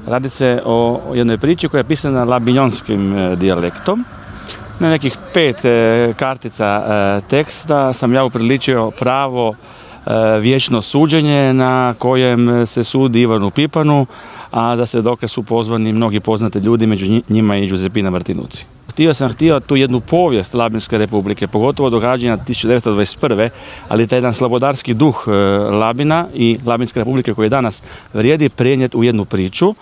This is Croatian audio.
Radi se o jednoj priči koja je pisana labinjonskim dijalektom. Na nekih 5 kartica teksta sam ja upriličio pravo vječno suđenje na kojem se sudi Ivanu Pipanu, a za svjedoke su pozvani mnogi poznati ljudi, među njima i Giuseppina Martinucci. Htio sam tu jednu povijest Labinske republike, pogotovo događanja 1921. ali taj jedan slobodarski duh Labina i Labinske republike koji danas vrijedi prenijeti u jednu priču.